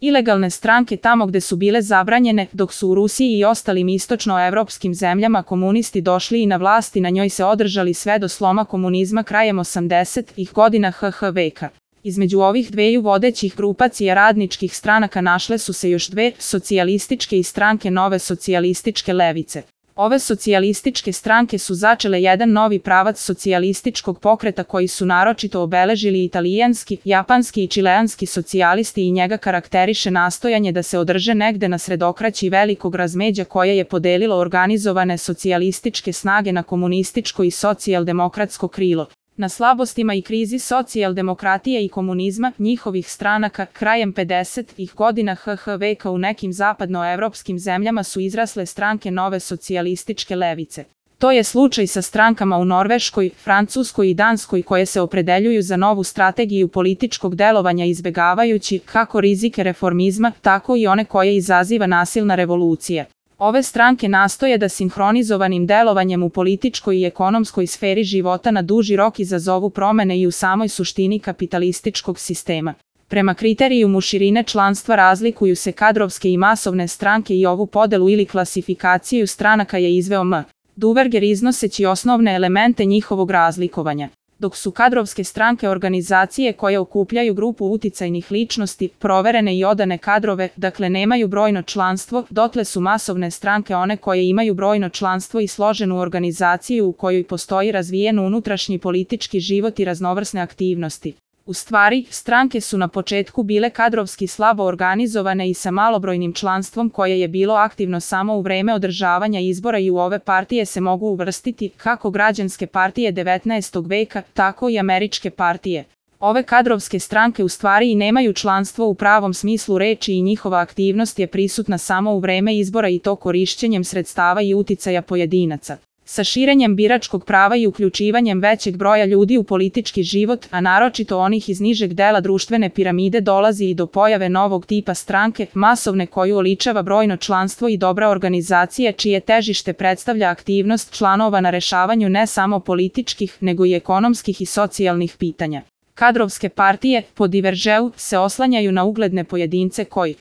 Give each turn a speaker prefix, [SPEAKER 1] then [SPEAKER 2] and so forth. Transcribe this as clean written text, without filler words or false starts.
[SPEAKER 1] Ilegalne stranke tamo gde su bile zabranjene, dok su u Rusiji i ostalim istočnoevropskim zemljama komunisti došli i na vlast i na njoj se održali sve do sloma komunizma krajem 80-ih godina HH veka. Između ovih dveju vodećih grupacija radničkih stranaka našle su se još dve, socijalističke i stranke Nove socijalističke levice. Ove socijalističke stranke su začele jedan novi pravac socijalističkog pokreta koji su naročito obeležili italijanski, japanski i čileanski socijalisti i njega karakteriše nastojanje da se održe negde na sredokraći velikog razmeđa koje je podelilo organizovane socijalističke snage na komunističko i socijaldemokratsko krilo. Na slabostima i krizi socijaldemokratije i komunizma, njihovih stranaka, krajem 50-ih godina HH veka u nekim zapadnoevropskim zemljama su izrasle stranke Nove socijalističke levice. To je slučaj sa strankama u Norveškoj, Francuskoj i Danskoj koje se opredeljuju za novu strategiju političkog delovanja izbegavajući kako rizike reformizma, tako i one koje izaziva nasilna revolucija. Ove stranke nastoje da sinhronizovanim delovanjem u političkoj i ekonomskoj sferi života na duži rok izazovu promene i u samoj suštini kapitalističkog sistema. Prema kriterijumu širine članstva razlikuju se kadrovske i masovne stranke i ovu podelu ili klasifikaciju stranaka je izveo M. Duverger iznoseći osnovne elemente njihovog razlikovanja. Dok su kadrovske stranke organizacije koje okupljaju grupu uticajnih ličnosti, proverene i odane kadrove, dakle nemaju brojno članstvo, dotle su masovne stranke one koje imaju brojno članstvo i složenu organizaciju u kojoj postoji razvijen unutrašnji politički život i raznovrsne aktivnosti. U stvari, stranke su na početku bile kadrovski slabo organizovane i sa malobrojnim članstvom koje je bilo aktivno samo u vreme održavanja izbora i u ove partije se mogu uvrstiti kako građanske partije 19. veka, tako i američke partije. Ove kadrovske stranke u stvari i nemaju članstvo u pravom smislu reči i njihova aktivnost je prisutna samo u vreme izbora i to korišćenjem sredstava i uticaja pojedinaca. Sa širenjem biračkog prava i uključivanjem većeg broja ljudi u politički život, a naročito onih iz nižeg dela društvene piramide dolazi i do pojave novog tipa stranke, masovne koju oličava brojno članstvo i dobra organizacija čije težište predstavlja aktivnost članova na rešavanju ne samo političkih, nego i ekonomskih i socijalnih pitanja. Kadrovske partije, po Divergeu, se oslanjaju na ugledne pojedince koji